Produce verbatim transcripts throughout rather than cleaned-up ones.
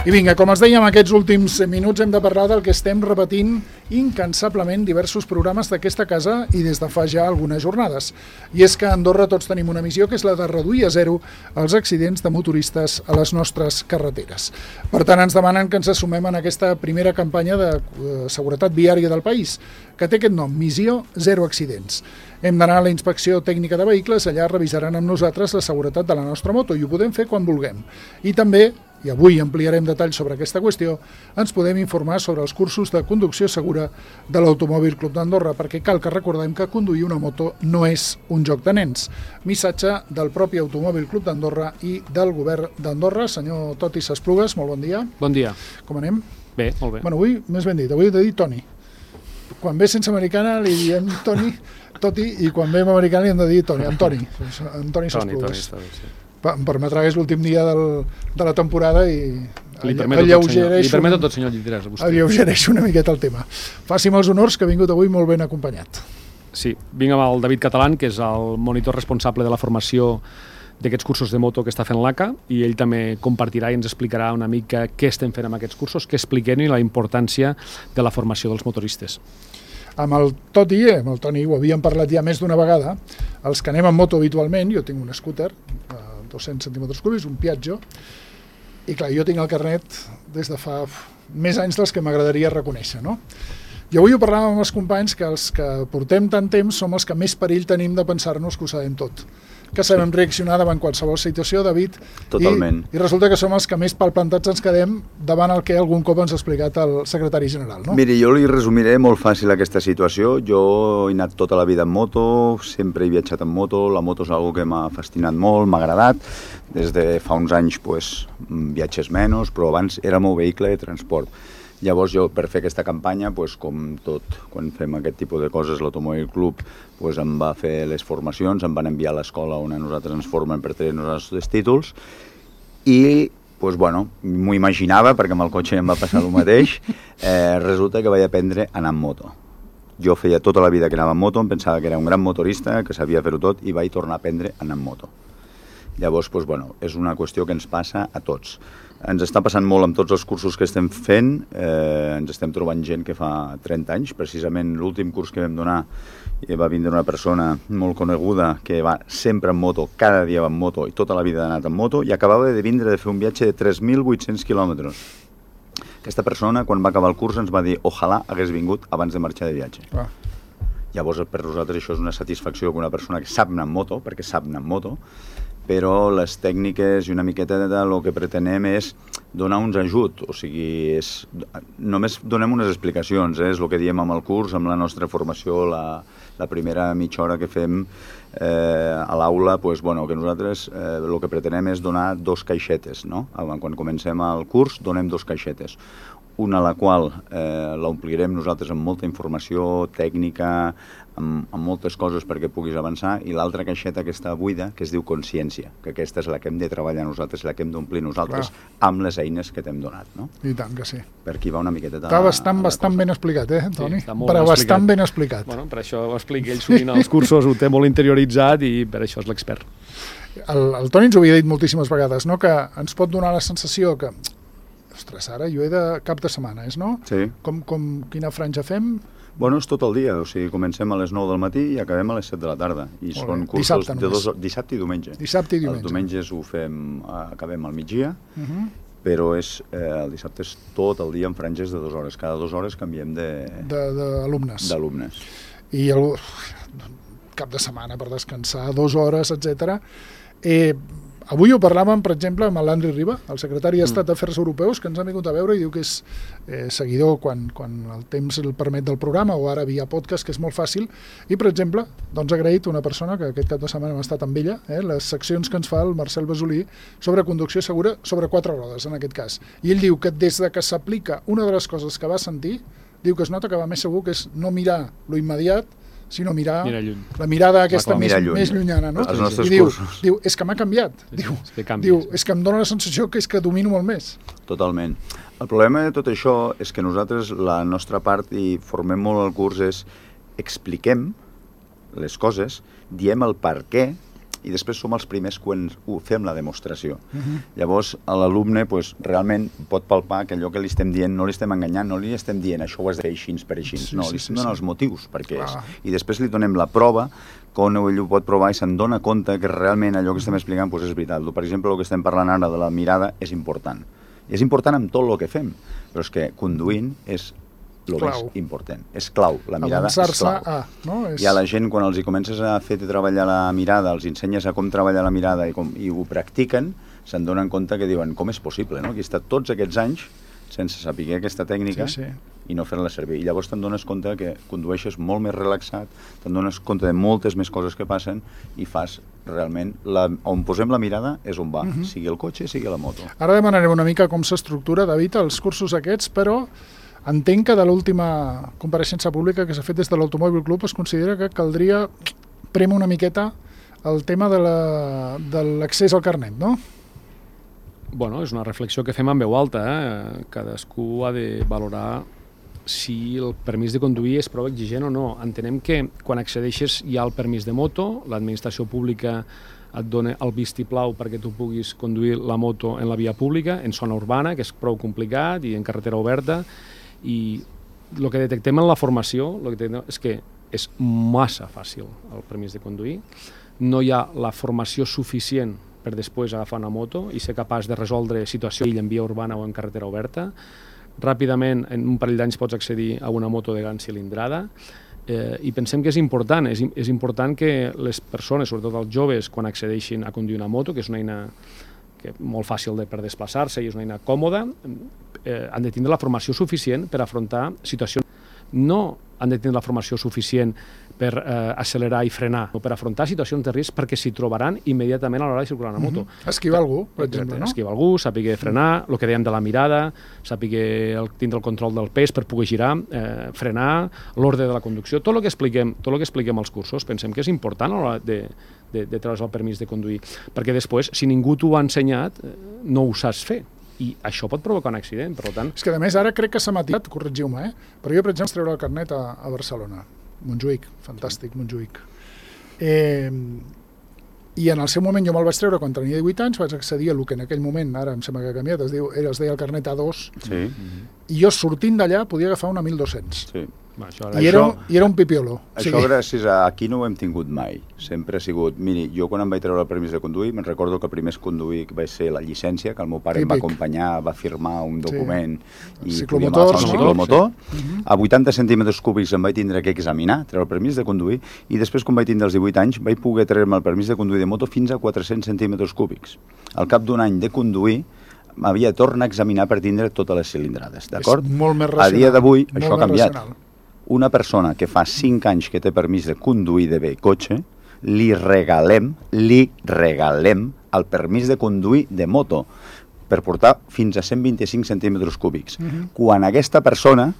I vinga, com els dèiem, aquests últims minuts hem de parlar del que estem repetint incansablement diversos programes d'aquesta casa i des de fa ja algunes jornades. I és que a Andorra tots tenim una missió, que és la de reduir a zero els accidents de motoristes a les nostres carreteres. Per tant, ens demanen que ens assumem en aquesta primera campanya de seguretat viària del país, que té aquest nom, Missió Zero Accidents. Hem d'anar a la inspecció tècnica de vehicles, allà revisaran amb nosaltres la seguretat de la nostra moto i ho podem fer quan vulguem. I també, i avui ampliarem detalls sobre aquesta qüestió, ens podem informar sobre els cursos de conducció segura de l'Automòbil Club d'Andorra, perquè cal que recordem que conduir una moto no és un joc de nens. Missatge del propi Automòbil Club d'Andorra i del govern d'Andorra. Senyor Toti S'Esplugues, molt bon dia. Bon dia. Com anem? Bé, molt bé. Bueno, avui, més ben dit, avui he de dir Toni. Quan ve sense americana li diem Toni, Toti, i quan ve amb americana li hem de dir Toni, Antoni, Antoni S'Esplugues. Toni, Toni, sí. Em permetrà que és l'últim dia del, de la temporada i li permeto tot, senyor, li permeto tot, senyor Lliterès, a vostè. Alleugereixo una miqueta el tema. Faci'm els honors, que ha vingut avui molt ben acompanyat. Sí, vinc amb el David Catalán, que és el monitor responsable de la formació d'aquests cursos de moto que està fent l'A C A, i ell també compartirà i ens explicarà una mica què estem fent amb aquests cursos, què expliquem i la importància de la formació dels motoristes. Amb el Toti, amb el Toni, ho havíem parlat ja més d'una vegada, els que anem amb moto habitualment, jo tinc un scooter, a dos-cents centímetres cúbics, un Piaggio, i clar, jo tinc el carnet des de fa més anys dels que m'agradaria reconèixer, no? I avui ho parlàvem amb els companys que els que portem tant temps som els que més perill tenim de pensar-nos que ho sabem tot, que sabem reaccionar davant qualsevol situació, David. Totalment. I, i resulta que som els que més palplantats ens quedem davant el que algun cop ens ha explicat el secretari general, no? Miri, jo li resumiré molt fàcil aquesta situació. Jo he anat tota la vida en moto, sempre he viatjat en moto, la moto és una cosa que m'ha fascinat molt, m'ha agradat. Des de fa uns anys pues, viatges menys, però abans era el meu vehicle de transport. Llavors jo, per fer aquesta campanya, pues, com tot, quan fem aquest tipus de coses, l'Automòbil Club pues, em va fer les formacions, em van enviar a l'escola on a nosaltres ens formen per tenir els nostres títols, i pues, bueno, m'ho imaginava, perquè amb el cotxe em va passar el mateix, eh, resulta que vaig aprendre a anar en moto. Jo feia tota la vida que anava en moto, em pensava que era un gran motorista, que sabia fer-ho tot, i vaig tornar a aprendre a anar en moto. Llavors, pues, bueno, és una qüestió que ens passa a tots. Ens està passant molt amb tots els cursos que estem fent, eh, ens estem trobant gent que fa trenta anys, precisament l'últim curs que vam donar va vindre una persona molt coneguda que va sempre en moto, cada dia va en moto i tota la vida ha anat en moto, i acabava de vindre de fer un viatge de tres mil vuit-cents quilòmetres. Aquesta persona, quan va acabar el curs, ens va dir ojalà hagués vingut abans de marxar de viatge. Ah. Llavors, per nosaltres això és una satisfacció que una persona que sap anar en moto, perquè sap anar en moto, però les tècniques i una miqueta de lo que pretenem és donar uns ajuts, o sigui, és, només donem unes explicacions, eh? És el que diem amb el curs, amb la nostra formació, la, la primera mitja hora que fem eh, a l'aula, pues, bueno, que nosaltres eh, el que pretenem és donar dos caixetes, no? Quan comencem el curs donem dos caixetes, una a la qual eh, l'omplirem nosaltres amb molta informació tècnica, amb, amb moltes coses perquè puguis avançar, i l'altra caixeta que està buida, que es diu consciència, que aquesta és la que hem de treballar nosaltres, la que hem d'omplir nosaltres, clar, amb les eines que t'hem donat, no? I tant que sí. Per aquí va una miqueta de... Està bastant, bastant ben explicat, eh, Toni? Sí, molt però ben bastant explicat. ben explicat. Bueno, per això ho explica ell sovint als cursos, ho té molt interioritzat i per això és l'expert. El, el Toni ens ho havia dit moltíssimes vegades, no? Que ens pot donar la sensació que ostres, ara jo he de cap de setmana, és, no? Sí. Com, com, quina franja fem? Bueno, és tot el dia, o sigui, comencem a les nou del matí i acabem a les set de la tarda. I Molt són bé. cursos Dissabte de només. dos, dissabte i diumenge. Dissabte i diumenge. Els diumenges ho fem, acabem al migdia, Uh-huh. però és, eh, el dissabte és tot el dia en franges de dues hores. Cada dues hores canviem de- De- d'alumnes. d'alumnes. I el cap de setmana per descansar, dues hores, etcètera. Eh, avui ho parlàvem, per exemple, amb l'Andri Riba, el secretari d'Estat Mm. d'Afers Europeus, que ens ha vingut a veure i diu que és eh, seguidor quan, quan el temps el permet del programa, o ara via podcast, que és molt fàcil, i, per exemple, doncs ha agraït una persona que aquest cap de setmana hem estat amb ella, eh, les seccions que ens fa el Marcel Basolí sobre conducció segura sobre quatre rodes, en aquest cas. I ell diu que des de que s'aplica una de les coses que va sentir, diu que es nota que va més segur, que és no mirar lo immediat, sinó mirar Mira lluny. la mirada aquesta Clar, més, mirar lluny. més llunyana, no? Els nostres I diu, cursos. diu, és que m'ha canviat. Sí, Diu, és que canvies. diu, és que em dóna la sensació que és que domino molt més. Totalment. El problema de tot això és que nosaltres, la nostra part, i formem molt el curs, és expliquem les coses, diem el per què, i després som els primers quan ho fem la demostració. Uh-huh. Llavors, l'alumne pues, realment pot palpar que allò que li estem dient no li estem enganyant, no li estem dient això ho has de fer així per així, sí, no, sí, li estem sí, donant sí. els motius perquè Clar. és. I després li donem la prova quan ell ho pot provar i se'n dona compte que realment allò que estem explicant pues, és veritat. Per exemple, el que estem parlant ara de la mirada és important. És important amb tot el que fem, però és que conduint és el més important. És clau, la mirada és clau. A, no? És... I a la gent, quan els hi comences a fer treballar la mirada, els ensenyes a com treballar la mirada i, com, i ho practiquen, se'n donen compte que diuen com és possible, no? Que he estat tots aquests anys sense saber aquesta tècnica sí, sí. i no fer-la servir. I llavors te'n dones compte que condueixes molt més relaxat, te'n dones compte de moltes més coses que passen i fas realment... La, on posem la mirada és on va, uh-huh. sigui el cotxe, sigui la moto. Ara demanarem una mica com s'estructura, David, els cursos aquests, però entenc que de l'última compareixença pública que s'ha fet des de l'Automòbil Club es considera que caldria prémer una miqueta el tema de la, de l'accés al carnet, no? Bueno, és una reflexió que fem en veu alta. Eh? Cadascú ha de valorar si el permís de conduir és prou exigent o no. Entenem que quan accedeixes hi ha el permís de moto, l'administració pública et dona el vistiplau perquè tu puguis conduir la moto en la via pública, en zona urbana, que és prou complicat, i en carretera oberta, i el que detectem en la formació el que és que és massa fàcil el permís de conduir, no hi ha la formació suficient per després agafar una moto i ser capaç de resoldre situacions en via urbana o en carretera oberta. Ràpidament, en un parell d'anys pots accedir a una moto de gran cilindrada, eh, i pensem que és important, és, és important que les persones, sobretot els joves, quan accedeixin a conduir una moto, que és una eina que molt fàcil de, per desplaçar-se i és una eina còmoda, eh, han de tindre la formació suficient per afrontar situacions. No han de tenir la formació suficient per eh, accelerar i frenar, o per afrontar situacions de risc perquè s'hi trobaran immediatament a l'hora de circular una moto. Uh-huh. Esquivar algú, per exemple, no? Esquivar algú, sàpiga frenar, el que dèiem de la mirada, sàpiga el, tindre el control del pes per poder girar, eh, frenar, l'ordre de la conducció, tot el que expliquem, tot el que expliquem als cursos, pensem que és important a l'hora de, de, de treure's el permís de conduir, perquè després, si ningú t'ho ha ensenyat, no ho saps fer. I això pot provocar un accident, per tant... És que, a més, ara crec que s'ha matisat, corregiu-me, eh? Però jo, per exemple, treure el carnet a, a Barcelona. Montjuïc, fantàstic, Montjuïc. Eh, I en el seu moment jo me'l vaig treure quan tenia divuit anys, vaig accedir a el que en aquell moment, ara em sembla que ha canviat, es, diu, es deia el carnet A dos, sí. I jo sortint d'allà podia agafar una mil dos-cents. Sí. Va, això I, era, I era un pipiolo. Això o sigui... gràcies a aquí no ho hem tingut mai. Sempre ha sigut... Miri, jo quan em vaig treure el permís de conduir, me'n recordo que el primer conduir va ser la llicència, que el meu pare Típic. Em va acompanyar, va firmar un document sí. I podíem agafar un ciclomotor. Sí. Uh-huh. A vuitanta centímetres cúbics em vaig tindre que examinar, treure el permís de conduir, i després, quan vaig tindre els divuit anys, vaig poder treure'm el permís de conduir de moto fins a quatre-cents centímetres cúbics. Al cap d'un any de conduir, m'havia de tornar a examinar per tindre totes les cilindrades, d'acord? És molt més racional. A dia d'avui, això ha canviat. Racional. Una persona que fa cinc anys que té permís de conduir de bé cotxe, li regalem, li regalem el permís de conduir de moto per portar fins a cent vint-i-cinc centímetres cúbics. Uh-huh. Quan aquesta persona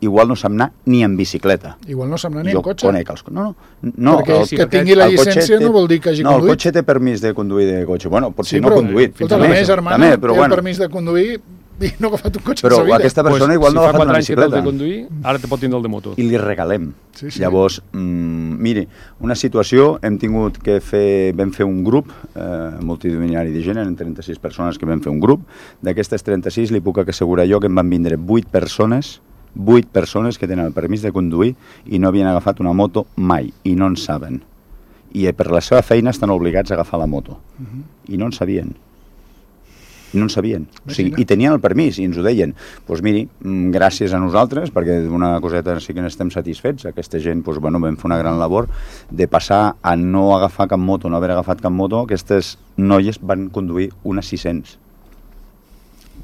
igual no sap anar ni en bicicleta. Igual no sap anar ni jo en cotxe. Conec els... No, no, no. Perquè el, que tingui la llicència té... no vol dir que hagi no, conduït. No, el cotxe té permís de conduir de cotxe. Bueno, potser sí, no però, conduït. Fins la meva germana també, però, té bueno. el permís de conduir i no ha agafat un cotxe però en sa vida. Però aquesta persona pues, igual si no ha agafat una bicicleta. Si fa quatre anys que té el de conduir, ara te pot tindre el de moto. I li regalem. Sí, sí. Llavors, mm, miri, una situació, hem tingut que fer, vam fer un grup eh, multidisciplinari de gent, eren trenta-sis persones que vam fer un grup. D'aquestes trenta-sis li puc assegurar jo que em van vindre vuit persones, vuit persones que tenen el permís de conduir i no havien agafat una moto mai, i no en saben. I per la seva feina estan obligats a agafar la moto. Uh-huh. I no en sabien. No en sabien. O sigui, i tenien el permís i ens ho deien. Doncs pues miri, gràcies a nosaltres, perquè d'una coseta sí que n'estem satisfets, aquesta gent pues, bueno, vam fer una gran labor de passar a no agafar cap moto, no haver agafat cap moto. Aquestes noies van conduir unes sis-cents.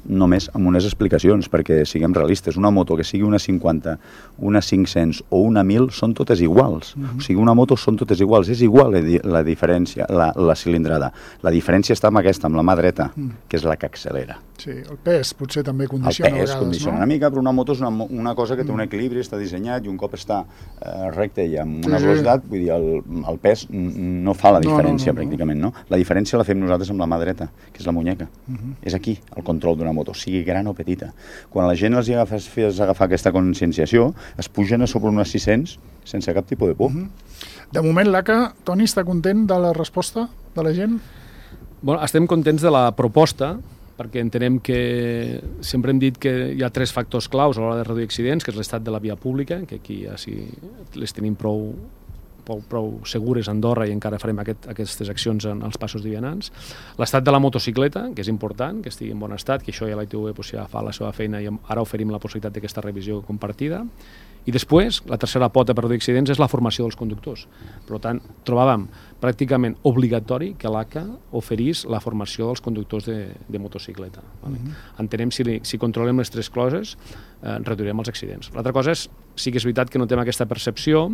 Només amb unes explicacions, perquè siguem realistes. Una moto que sigui una cinquanta, una cinc-cents o una mil són totes iguals. Uh-huh. O sigui, una moto són totes iguals. És igual la diferència, la, la cilindrada. La diferència està amb aquesta, amb la mà dreta, uh-huh. que és la que accelera. Sí, el pes potser també condiciona el pes, a vegades, condiciona no? una mica, però una moto és una, una cosa que té un equilibri, està dissenyat i un cop està eh, recte i amb una sí, velocitat, sí. Vull dir, el, el pes no fa la diferència no, no, no, pràcticament, no? La diferència la fem nosaltres amb la mà dreta, que és la muñeca. Uh-huh. És aquí el control d'una moto, sigui gran o petita. Quan la gent els agafes, fes agafar aquesta conscienciació, es pugen a sobre unes sis-cents sense cap tipus de por. Uh-huh. De moment, l'A C A, Toni, està content de la resposta? de la gent? Bueno, estem contents de la proposta, perquè entenem que sempre hem dit que hi ha tres factors claus a l'hora de reduir accidents, que és l'estat de la via pública, que aquí ja sí les tenim prou, prou, prou segures a Andorra i encara farem aquest, aquestes accions en els passos de vianants. L'estat de la motocicleta, que és important, que estigui en bon estat, que això ja la I T V pues, ja fa la seva feina i ara oferim la possibilitat d'aquesta revisió compartida. I després, la tercera pota per reduir accidents és la formació dels conductors. Per tant, trobàvem pràcticament obligatori que l'A C A oferís la formació dels conductors de, de motocicleta. Vale? Uh-huh. Entenem si, si controlem les tres coses, eh, reduirem els accidents. L'altra cosa és, sí que és veritat que no tenim aquesta percepció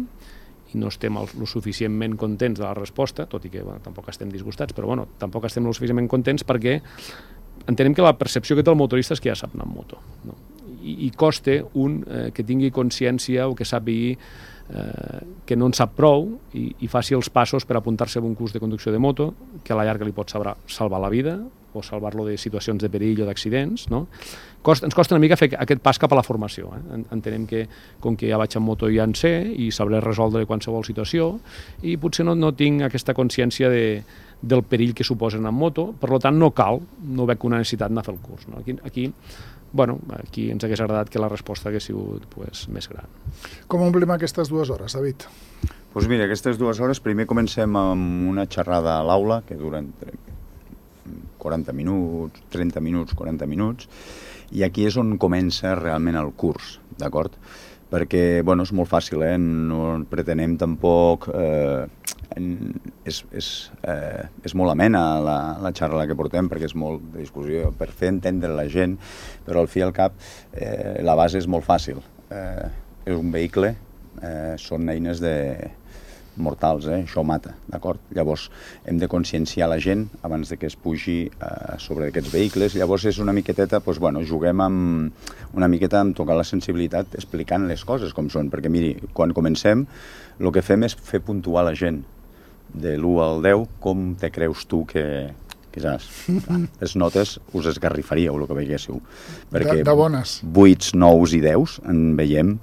i no estem el, lo suficientment contents de la resposta, tot i que bueno, tampoc estem disgustats, però bueno, tampoc estem lo suficientment contents perquè entenem que la percepció que té el motorista és que ja sap anar amb moto, no? I, i costa un eh, que tingui consciència o que sàpigui eh, que no en sap prou i, i faci els passos per apuntar-se a un curs de conducció de moto que a la llarga li pot salvar, salvar la vida o salvar-lo de situacions de perill o d'accidents, no? Costa, ens costa una mica fer aquest pas cap a la formació. Eh? Entenem que com que ja vaig en moto ja en sé i sabré resoldre qualsevol situació i potser no, no tinc aquesta consciència de, del perill que suposen en moto, per tant no cal, no veig una necessitat d'anar a fer el curs. No? Aquí, aquí Bueno, aquí ens hagués agradat que la resposta hagués sigut pues, més gran. Com omplim aquestes dues hores, David? Doncs pues mira, aquestes dues hores, primer comencem amb una xerrada a l'aula, que dura entre quaranta minuts, trenta minuts, quaranta minuts, i aquí és on comença realment el curs, d'acord? Perquè, bueno, és molt fàcil, eh? No pretenem tampoc... Eh, és, és, eh, és molt amena la, la xarra que portem perquè és molt de discussió per fer entendre la gent, però al fi i al cap eh, la base és molt fàcil. Eh, és un vehicle, eh, són eines de mortals, eh? Això mata, d'acord? Llavors hem de conscienciar la gent abans de que es pugi eh, sobre aquests vehicles. Llavors és una miqueteta, doncs, bueno, juguem amb, una miqueta amb tocar la sensibilitat explicant les coses com són, perquè miri, quan comencem el que fem és fer puntuar la gent de l'u al deu, com te creus tu que, que saps? Les notes us esgarrifaríeu el que veiéssiu. Perquè de, de bones. vuits, nous i deus en veiem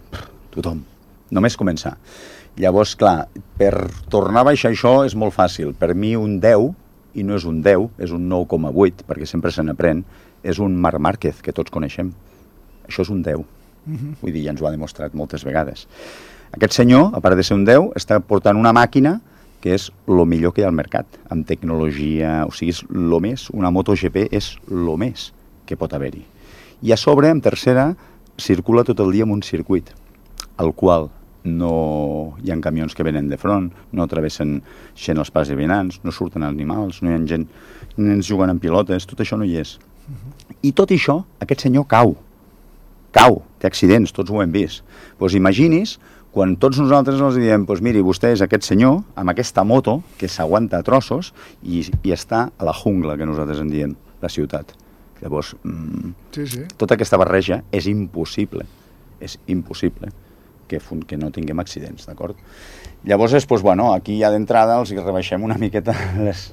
tothom. Només començar. Llavors, clar, per tornar a baixar això és molt fàcil. Per mi un deu, i no és un deu, és un nou coma vuit, perquè sempre se n'aprèn, és un Marc Márquez, que tots coneixem. Això és un deu. Uh-huh. Vull dir, ja ens ho ha demostrat moltes vegades. Aquest senyor, a part de ser un deu, està portant una màquina que és el millor que hi ha al mercat, amb tecnologia, o sigui, és el més, una moto G P és el més que pot haver-hi. I a sobre, en tercera, circula tot el dia en un circuit, al qual no hi ha camions que venen de front, no travessen gent els pas de vianants, no surten animals, no hi ha gent, nens jugant amb pilotes, tot això no hi és. Uh-huh. I tot això, aquest senyor cau, cau, té accidents, tots ho hem vist. Doncs pues imagini's quan tots nosaltres els diem, doncs miri, vostè és aquest senyor amb aquesta moto que s'aguanta a trossos i, i està a la jungla, que nosaltres en diem, la ciutat. Llavors, mmm, sí, sí. Tota aquesta barreja és impossible, és impossible que, que no tinguem accidents, d'acord? Llavors, és, doncs, bueno, aquí ja d'entrada els rebaixem una miqueta les...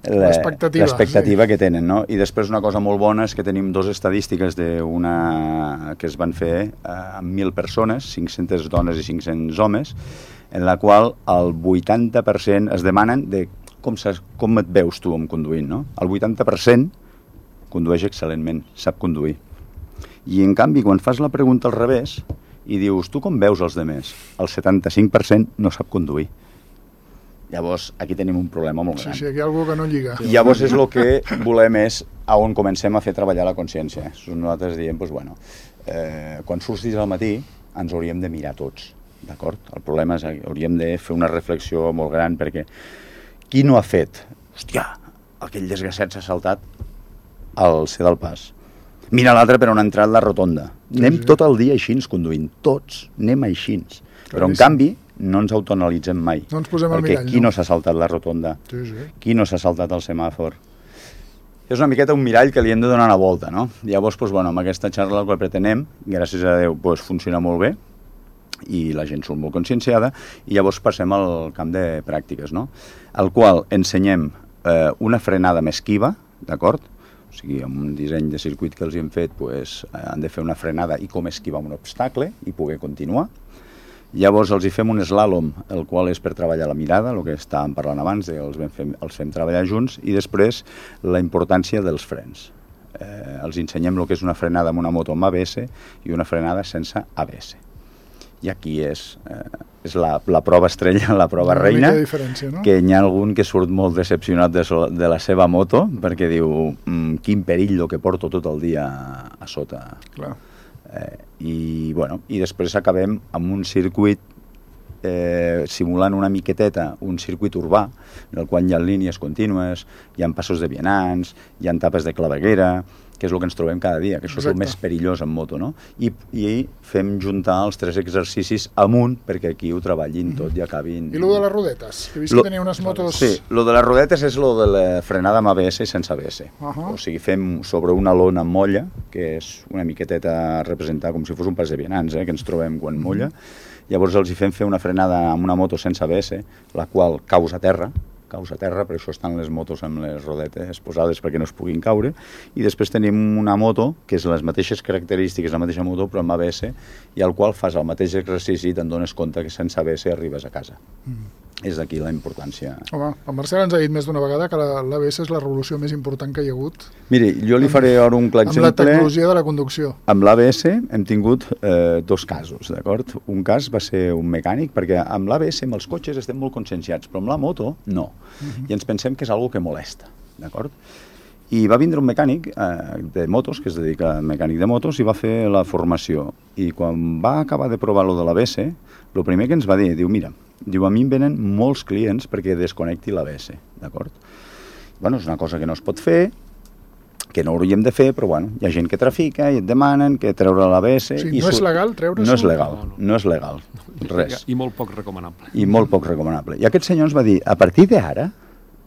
l'expectativa sí. que tenen, no? I després una cosa molt bona és que tenim dues estadístiques d'una que es van fer eh, amb mil persones, cinc-centes dones i cinc-cents homes, en la qual el vuitanta per cent es demanen de com, com et veus tu amb conduint, no? El vuitanta per cent condueix excel·lentment, sap conduir. I en canvi, quan fas la pregunta al revés i dius, tu com veus els demés? El setanta-cinc per cent no sap conduir. Llavors, aquí tenim un problema molt gran. Sí, sí, aquí hi ha algú que no lliga. I llavors és el que volem és a on comencem a fer treballar la consciència. Nosaltres diem, doncs, bueno, eh, quan surtis al matí ens hauríem de mirar tots, d'acord? El problema és que hauríem de fer una reflexió molt gran perquè qui no ha fet? Hòstia, aquell desgraciat s'ha saltat al C del pas. Mira l'altre per on ha entrat la rotonda. Sí, anem sí. tot el dia així conduint, tots, anem així. Però en canvi no ens autoanalitzem mai. No ens posem al mirall, no? Qui no s'ha saltat la rotonda? Sí, sí. Qui no s'ha saltat el semàfor? És una miqueta un mirall que li hem de donar una volta, no? Llavors, doncs, bueno, amb aquesta xarra el que pretenem, gràcies a Déu, doncs, funciona molt bé i la gent surt molt conscienciada i llavors passem al camp de pràctiques, no? Al qual ensenyem eh, una frenada més esquiva, d'acord? O sigui, amb un disseny de circuit que els hem fet, doncs, han de fer una frenada i com esquivar un obstacle i poder continuar. Llavors els hi fem un slàlom, el qual és per treballar la mirada, el que estàvem parlant abans, de els, fem, els fem treballar junts, i després la importància dels frens. Eh, els ensenyem el que és una frenada amb una moto amb A B S i una frenada sense A B S. I aquí és, eh, és la, la prova estrella, la prova una reina, no? Que hi ha algun que surt molt decepcionat de, so, de la seva moto, perquè diu, mmm, quin perill el que porto tot el dia a sota. Clar. Eh, i, bueno, i després acabem amb un circuit eh, simulant una miqueteta un circuit urbà en el qual hi ha línies contínues, hi ha passos de vianants, hi ha tapes de claveguera, que és el que ens trobem cada dia, que això Exacte. És el més perillós en moto, no? I, i fem juntar els tres exercicis amunt perquè aquí ho treballin tot i acabin... I lo de les rodetes? Que he vist lo... que tenia unes motos... Sí, lo de les rodetes és lo de la frenada amb A B S i sense A B S. Uh -huh. O sigui, fem sobre una lona amb molla, que és una miqueteta representar com si fos un pas de vianants, eh, que ens trobem quan molla. Uh -huh. Llavors els hi fem fer una frenada amb una moto sense A B S, la qual causa terra, causa terra, per això estan les motos amb les rodetes posades perquè no es puguin caure, i després tenim una moto que és les mateixes característiques, la mateixa moto però amb A B S, i al qual fas el mateix exercici i te'n dones compte que sense A B S arribes a casa. Mm. És d'aquí la importància. Home, el Marcel ens ha dit més d'una vegada que l'A B S és la revolució més important que hi ha hagut. Miri, jo li faré ara un clar exemple. Amb la tecnologia de la conducció. Amb l'A B S hem tingut eh, dos casos, d'acord? Un cas va ser un mecànic, perquè amb l'A B S, amb els cotxes, estem molt conscienciats, però amb la moto, no. Uh-huh. I ens pensem que és algo que molesta, d'acord? I va vindre un mecànic eh, de motos, que es dedica a mecànic de motos, i va fer la formació. I quan va acabar de provar lo de l'A B S, el primer que ens va dir, diu, mira, diu, a mi em venen molts clients perquè desconnecti l'A B S, d'acord? Bueno, és una cosa que no es pot fer, que no hauríem de fer, però bueno, hi ha gent que trafica i et demanen que treure l'A B S... Sí, i no és legal treure-s'ho? No és legal, no, no. no és legal, res. I molt poc recomanable. I molt poc recomanable. I aquest senyor ens va dir, a partir d'ara,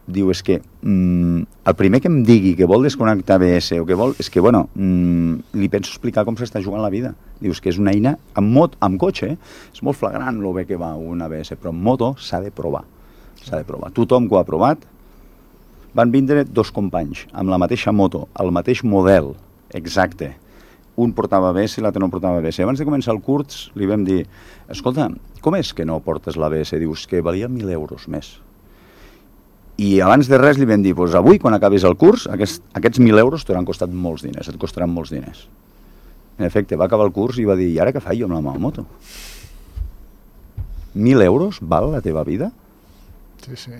diu, és que mm, el primer que em digui que vol desconnectar A B S o que vol, és que, bueno, mm, li penso explicar com s'està jugant la vida. Dius que és una eina, amb, mot, amb cotxe, és molt flagrant el bé que va un A B S, però en moto s'ha de provar. S'ha de provar. Tothom que ho ha provat, van vindre dos companys amb la mateixa moto, el mateix model exacte. Un portava A B S i l'altre no portava A B S. Abans de començar el curs li vam dir, escolta, com és que no portes l'A B S? Dius que valia mil euros més. I abans de res li vam dir, doncs avui, quan acabis el curs, aquests, aquests mil euros t'hauran costat molts diners, et costaran molts diners. En efecte, va acabar el curs i va dir, i ara què faig jo amb la meva moto? Mil euros val la teva vida? Sí, sí.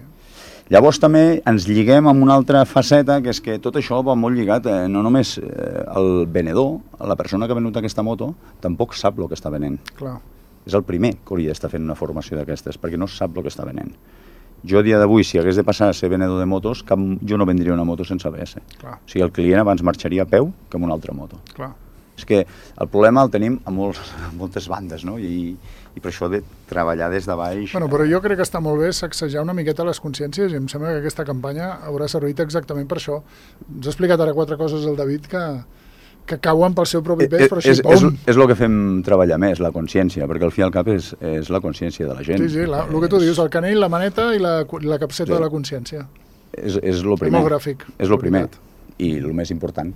Llavors també ens lliguem amb una altra faceta, que és que tot això va molt lligat, eh, no només eh, el venedor, la persona que ha venut aquesta moto, tampoc sap el que està venent. Clar. És el primer que hauria d'estar fent una formació d'aquestes, perquè no sap el que està venent. Jo a dia d'avui, si hagués de passar a ser venedor de motos, cap, jo no vendria una moto sense A B S. Clar. O sigui, el client abans marxaria a peu que amb una altra moto. Clar. És que el problema el tenim a, molts, a moltes bandes, no? I, i per això de treballar des de baix... Bueno, però jo crec que està molt bé sacsejar una miqueta les consciències i em sembla que aquesta campanya haurà servit exactament per això. Ens ha explicat ara quatre coses el David que... que cauen pel seu propi pes, però així, és, és, és el que fem treballar més, la consciència, perquè al fi i al cap és, és la consciència de la gent. Sí, sí, la, el que tu dius, el canell, la maneta i la, la capseta sí. de la consciència. És, és lo primer. Demogràfic. És lo primer. I el més important,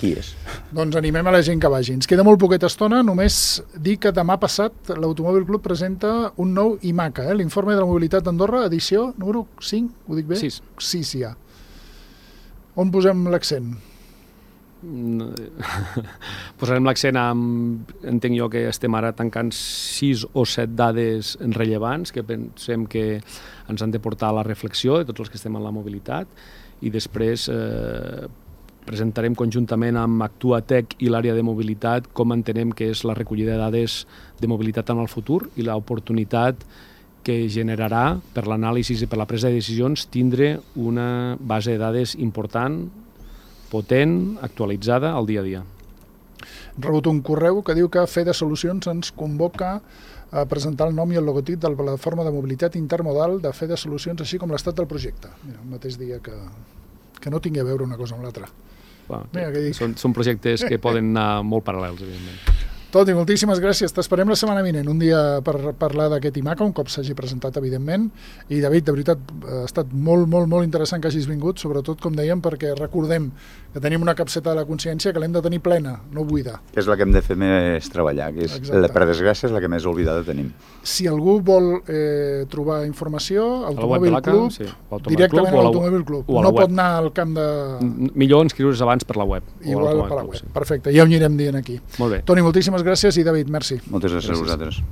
qui és? Doncs animem a la gent que vagi. Ens queda molt poqueta estona, només dir que demà passat l'Automòbil Club presenta un nou IMACA, eh? l'Informe de la Mobilitat d'Andorra, edició número cinc, ho dic bé? sis. sis, ja. On posem l'accent? Posarem l'accent amb, entenc jo que estem ara tancant sis o set dades rellevants que pensem que ens han de portar a la reflexió de tots els que estem en la mobilitat i després eh, presentarem conjuntament amb Actuatec i l'àrea de mobilitat com entenem que és la recollida de dades de mobilitat en el futur i l'oportunitat que generarà per l'anàlisi i per la presa de decisions tindre una base de dades important, potent, actualitzada al dia a dia. He rebut un correu que diu que Fede Solucions ens convoca a presentar el nom i el logotip de la plataforma de mobilitat intermodal de Fede Solucions, així com l'estat del projecte. Mira, el mateix dia que, que no tingui a veure una cosa amb l'altra. Bueno, Mira, són, són projectes que poden anar molt paral·lels, evidentment. Toni, moltíssimes gràcies. T'esperem la setmana vinent, un dia per parlar d'aquest IMACA, un cop s'hagi presentat, evidentment. I, David, de veritat, ha estat molt, molt, molt interessant que hagis vingut, sobretot, com dèiem, perquè recordem que tenim una capseta de la consciència que l'hem de tenir plena, no buida. Que és la que hem de fer més treballar, que és, la, per desgràcia, és la que més oblidada tenim. Si algú vol eh, trobar informació, Automòbil Club, sí. directament a l'Automòbil Club. No pot anar al camp de... Millor inscriure's abans per la web. Igual per la web, perfecte, ja ho anirem dient aquí. Molt bé. Toni, moltíssimes gràcies i David, merci. Moltes gràcies a vosaltres.